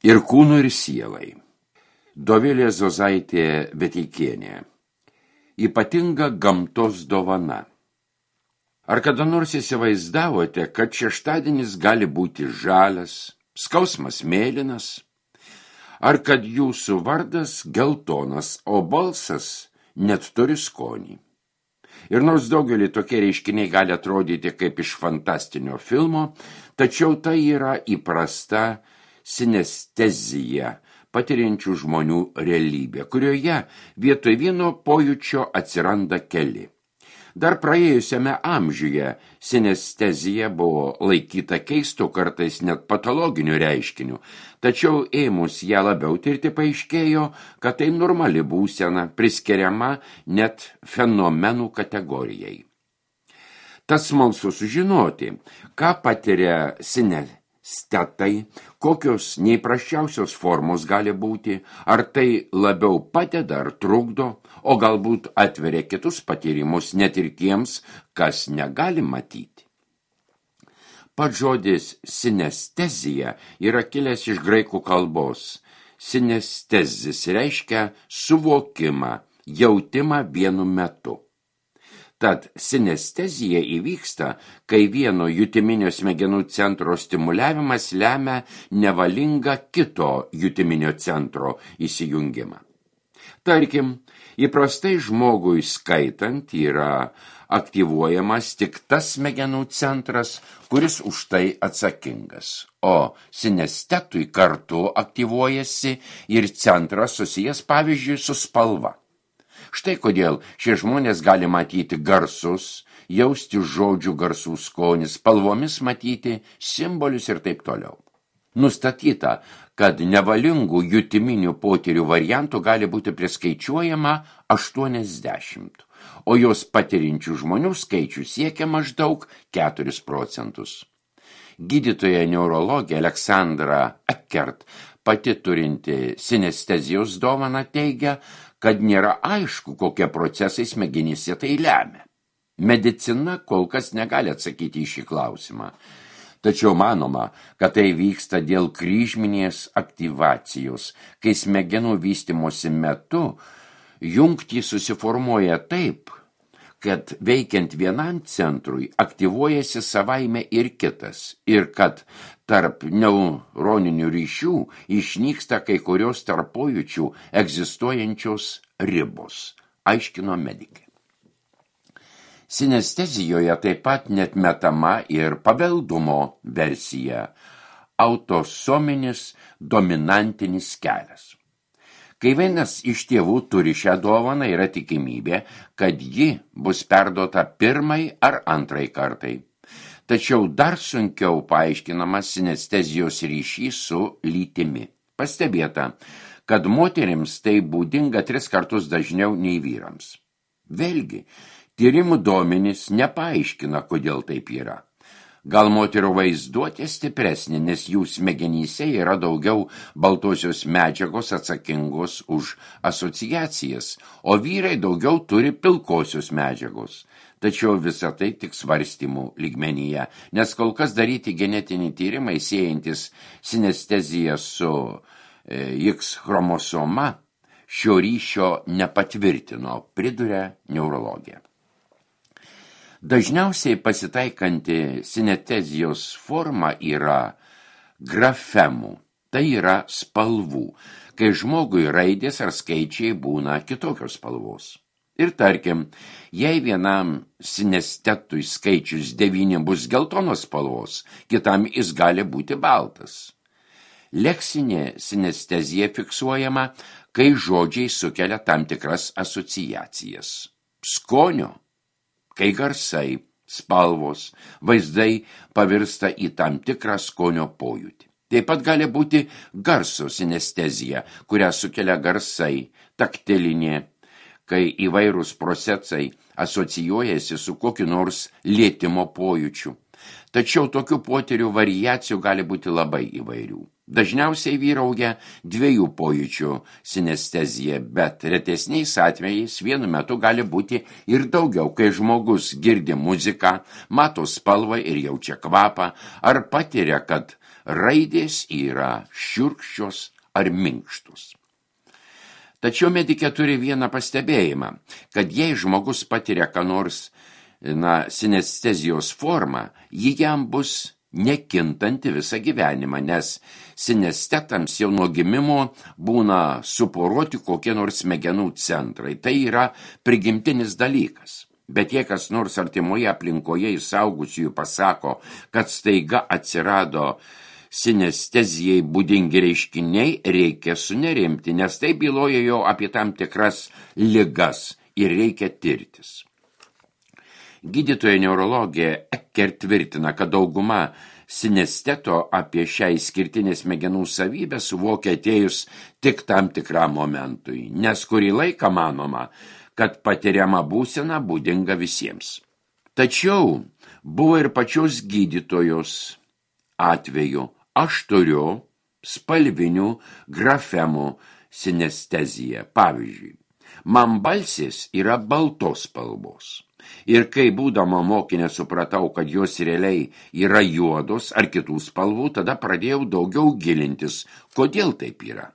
Ir kūnų, ir sielai. Dovilė Zozaitė Veteikienė. Ypatinga gamtos dovana. Ar kada nors įsivaizdavote, kad šeštadienis gali būti žalias, skausmas mėlynas, ar kad jūsų vardas geltonas, o balsas net turi skonį? Ir nors daugelį tokie reiškiniai gali atrodyti kaip iš fantastinio filmo, tačiau tai yra įprasta sinestezija patiriančių žmonių realybė, kurioje vietoj vieno pojūčio atsiranda keli. Dar praėjusiame amžiuje sinestezija buvo laikyta keistu, kartais net patologiniu reiškiniu, tačiau ėmus ją labiau tirti paaiškėjo, kad tai normali būsena, priskiriama net fenomenų kategorijai. Tas smalsu sužinoti, ką patiria sinestetai, kokios neįprasčiausios formos gali būti, ar tai labiau padeda ar trukdo, o galbūt atveria kitus patyrimus net ir tiems, kas negali matyti. Pats žodis sinestezija yra kilęs iš graikų kalbos. Sinestezis reiškia suvokimą, jautimą vienu metu. Tad sinestezija įvyksta, kai vieno jutiminio smegenų centro stimuliavimas lemia nevalingą kito jutiminio centro įsijungimą. Tarkim, įprastai žmogui skaitant yra aktyvuojamas tik tas smegenų centras, kuris už tai atsakingas, o sinestetui kartu aktyvuojasi ir centras susijęs pavyzdžiui su spalva. Štai kodėl šie žmonės gali matyti garsus, jausti žodžių garsų skonį, spalvomis matyti simbolius ir taip toliau. Nustatyta, kad nevalingų jutiminių potyrių variantų gali būti priskaičiuojama 80, o jos patiriančių žmonių skaičius siekia maždaug 4%. Gydytoja neurologė Aleksandra Eckert, pati turinti sinestezijos dovaną, teigia, kad nėra aišku, kokie procesai smegenyse tai lemia. Medicina kol kas negali atsakyti į šį klausimą. Tačiau manoma, kad tai vyksta dėl kryžminės aktyvacijos, kai smegenų vystymosi metu jungtys susiformuoja taip, kad veikiant vienam centrui aktyvuojasi savaime ir kitas, ir kad tarp neuroninių ryšių išnyksta kai kurios tarp pojūčių egzistuojančios ribos, aiškino medikė. Sinestezijoje taip pat net metama ir paveldumo versija – autosominis dominantinis kelias. Kai vienas iš tėvų turi šią dovaną, yra tikimybė, kad ji bus perduota pirmai ar antrai kartai. Tačiau dar sunkiau paaiškinamas sinestezijos ryšys su lytimi. Pastebėta, kad moterims tai būdinga 3 kartus dažniau nei vyrams. Vėlgi, tyrimų duomenys nepaaiškina, kodėl taip yra. Gal moterų vaizduotė stipresnė, nes jų smegenyse yra daugiau baltosios medžiagos atsakingos už asociacijas, o vyrai daugiau turi pilkosios medžiagos. Tačiau visa tai tik svarstymų lygmenyje, nes kol kas daryti genetiniai tyrimai siejantis sinesteziją su X chromosoma šio ryšio nepatvirtino, priduria neurologija. Dažniausiai pasitaikanti sinestezijos forma yra grafemų, tai yra spalvų, kai žmogui raidės ar skaičiai būna kitokios spalvos. Ir tarkim, jei vienam sinestetui skaičius 9 bus geltonos spalvos, kitam jis gali būti baltas. Leksinė sinestezija fiksuojama, kai žodžiai sukelia tam tikras asociacijas. Skonio, kai garsai, spalvos, vaizdai pavirsta į tam tikrą skonio pojūtį. Taip pat gali būti garso sinestezija, kurią sukelia garsai, taktilinė, kai įvairūs procesai asocijuojasi su kokiu nors lietimo pojūčiu. Tačiau tokių potyrių variacijų gali būti labai įvairių. Dažniausiai vyrauja 2 pojūčių sinestezija, bet retesniais atvejais vienu metu gali būti ir daugiau, kai žmogus girdi muziką, mato spalvą ir jaučia kvapą, ar patiria, kad raidės yra šiurkščios ar minkštus. Tačiau medikė turi vieną pastebėjimą, kad jei žmogus patiria ką nors, sinestezijos formą, ji jam bus nekintanti visą gyvenimą, nes sinestetams jau nuo gimimo būna suporoti kokie nors smegenų centrai. Tai yra prigimtinis dalykas. Bet jei kas nors artimoje aplinkoje iš suaugusiųjų pasako, kad staiga atsirado sinestezijai būdingi reiškiniai, reikia sunerimti, nes tai byloja jo apie tam tikras ligas ir reikia tirtis. Gydytoja neurologė Ecker tvirtina, kad dauguma sinesteto apie šią išskirtinę smegenų savybę suvokia atėjus tik tam tikram momentui, nes kurį laiką manoma, kad patiriama būsena būdinga visiems. Tačiau buvo ir pačios gydytojos atveju. Aš turiu spalvinių grafemų sinesteziją. Pavyzdžiui, man balsės yra baltos spalvos. Ir kai būdama mokinė supratau, kad jos realiai yra juodos ar kitų spalvų, tada pradėjau daugiau gilintis, kodėl taip yra.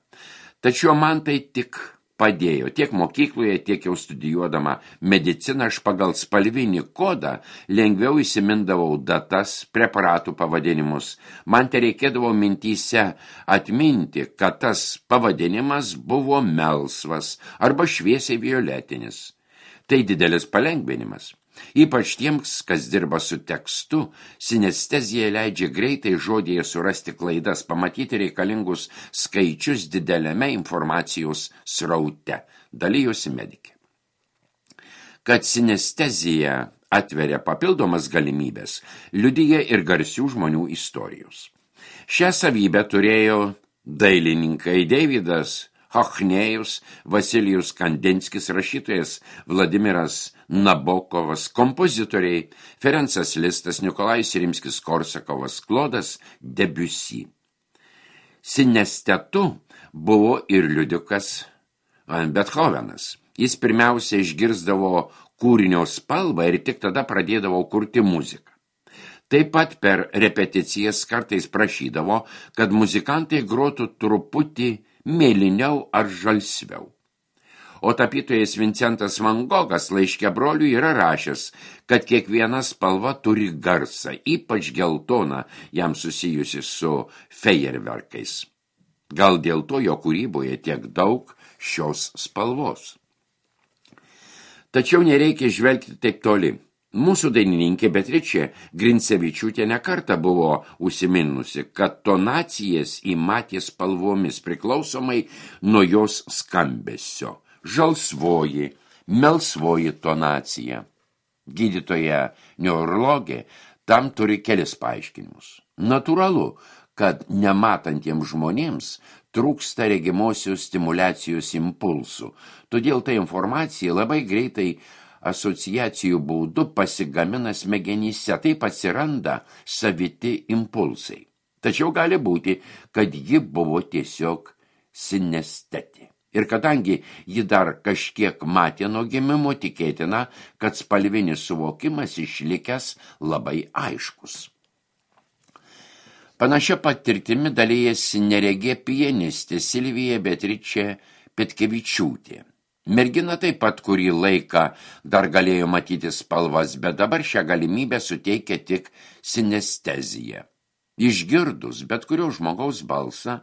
Tačiau man tai tik padėjo. Tiek mokykloje, tiek jau studijuodama mediciną, aš pagal spalvinį kodą lengviau įsimindavau datas, preparatų pavadinimus. Man tai reikėdavo mintyse atminti, kad tas pavadinimas buvo melsvas arba šviesiai violetinis. Tai didelis palengvinimas. Ypač tiems, kas dirba su tekstu, sinestezija leidžia greitai žodėje surasti klaidas, pamatyti reikalingus skaičius dideliame informacijos sraute, dalijosi medikė. Kad sinestezija atveria papildomas galimybės, liudija ir garsių žmonių istorijos. Šią savybę turėjo dailininkai Deividas Hochnėjus, Vasilijus Kandinskis, rašytojas Vladimiras Nabokovas, kompozitoriai Ferencas Listas, Nikolajus Rimskis-Korsakovas, Klodas Debussy. Sinestetu buvo ir liudikas Bethovenas. Jis pirmiausia išgirsdavo kūrinio spalvą ir tik tada pradėdavo kurti muziką. Taip pat per repeticijas kartais prašydavo, kad muzikantai grotų truputį mėlyniau ar žalsviau. O tapytojas Vincentas Van Gogas laiške broliui yra rašęs, kad kiekviena spalva turi garsą, ypač geltoną, jam susijusi su fejerverkais. Gal dėl to jo kūryboje tiek daug šios spalvos. Tačiau nereikia žvelgti taip toli. Mūsų dainininkė Beatričė Grincevičiūtė nekartą buvo užsiminusi, kad tonacijas įmatė spalvomis priklausomai nuo jos skambesio. Žalsvoji, melsvoji tonacija. Gydytoja neurologė tam turi kelis paaiškinimus. Natūralu, kad nematantiems žmonėms trūksta regimosios stimuliacijos impulsų, todėl ta informacija labai greitai asociacijų būdu pasigamina smegenyse, taip atsiranda saviti impulsai. Tačiau gali būti, kad ji buvo tiesiog sinestetė. Ir kadangi ji dar kažkiek matė nuo gimimo, tikėtina, kad spalvinis suvokimas išlikęs labai aiškus. Panašia patirtimi dalijasi neregė pianistė Silvija Beatričė Petkevičiūtė. Mergina taip pat kurį laiką dar galėjo matyti spalvas, bet dabar šią galimybę suteikia tik sinestezija. Išgirdus bet kurio žmogaus balsą,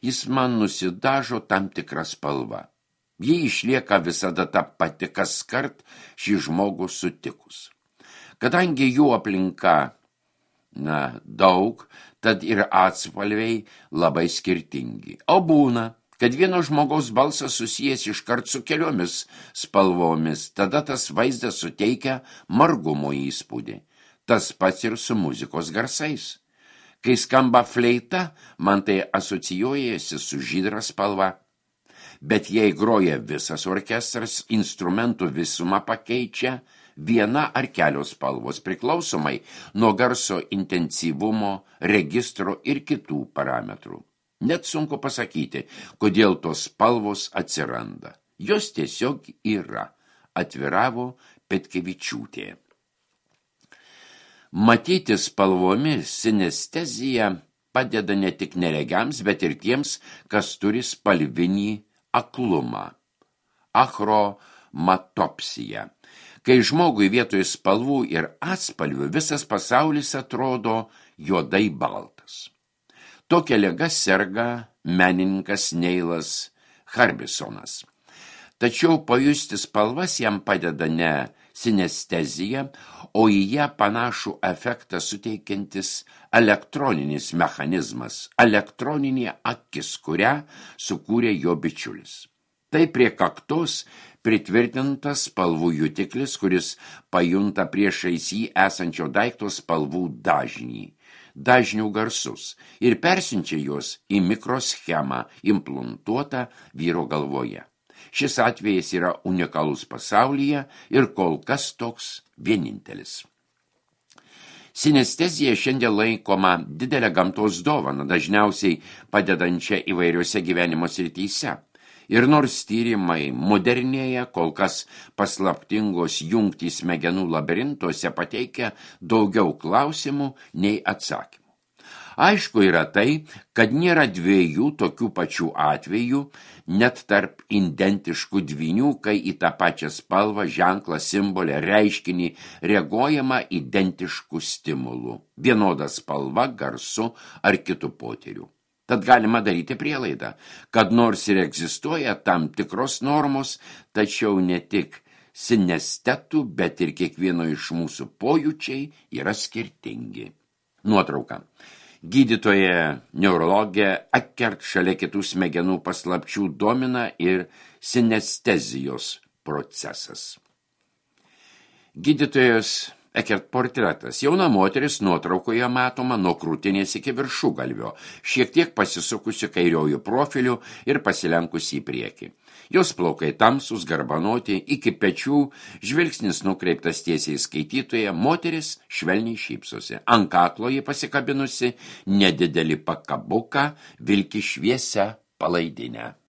jis man nusidažo tam tikrą spalvą. Ji išlieka visada ta pati kaskart šį žmogų sutikus. Kadangi jų aplinka daug, tad ir atspalviai labai skirtingi. O būna, kad vieno žmogaus balsas susijęs iškart su keliomis spalvomis, tada tas vaizdas suteikia margumo įspūdį. Tas pats ir su muzikos garsais. Kai skamba fleita, man tai asocijuojasi su žydra spalva. Bet jei groja visas orkestras, instrumentų visumą pakeičia viena ar kelios spalvos priklausomai nuo garso intensyvumo, registro ir kitų parametrų. Net sunku pasakyti, kodėl tos spalvos atsiranda. Jos tiesiog yra, atviravo Petkevičiūtė. Matyti spalvomis sinestezija padeda ne tik neregiams, bet ir tiems, kas turi spalvinį aklumą. Achromatopsija. Kai žmogui vietoj spalvų ir atspalvių visas pasaulis atrodo juodai baltas. Tokia liga serga menininkas Neilas Harbisonas. Tačiau pajusti spalvas jam padeda ne sinestezija, o į ją panašų efektą suteikiantis elektroninis mechanizmas, elektroninė akis, kurią sukūrė jo bičiulis. Tai prie kaktos pritvirtintas spalvų jutiklis, kuris pajunta priešais jį esančio daikto spalvų dažnių garsus ir persiunčia juos į mikroschemą implantuotą vyro galvoje. Šis atvejis yra unikalus pasaulyje ir kol kas toks vienintelis. Sinestezija šiandien laikoma didelę gamtos dovaną, dažniausiai padedančią įvairiose gyvenimo srityse. Ir nors tyrimai modernėja, kol kas paslaptingos jungtys smegenų labirintuose pateikia daugiau klausimų nei atsakymų. Aišku yra tai, kad nėra dviejų tokių pačių atvejų, net tarp identiškų dvynių, kai į tą pačią spalvą, ženklą, simbolį, reiškinį reaguojama identiškų stimulų, vienoda spalva, garsu ar kitų potyrių. Tad galima daryti prielaidą, kad nors ir egzistuoja tam tikros normos, tačiau ne tik sinestetų, bet ir kiekvieno iš mūsų pojūčiai yra skirtingi. Nuotrauka. Gydytoja neurologė Eckert šalia kitų smegenų paslapčių domina ir sinestezijos procesas. Gydytojos Eckert portretas. Jauna moteris nuotraukoje matoma nuo krūtinės iki viršugalvio, šiek tiek pasisukusi kairiojų profiliu ir pasilenkusi į priekį. Jos plaukai tamsūs, garbanoti, iki pečių, žvilgsnis nukreiptas tiesiai skaitytoje, moteris švelniai šypsosi. Ant kaklo ji pasikabinusi nedidelį pakabuką, vilki šviesią palaidinę.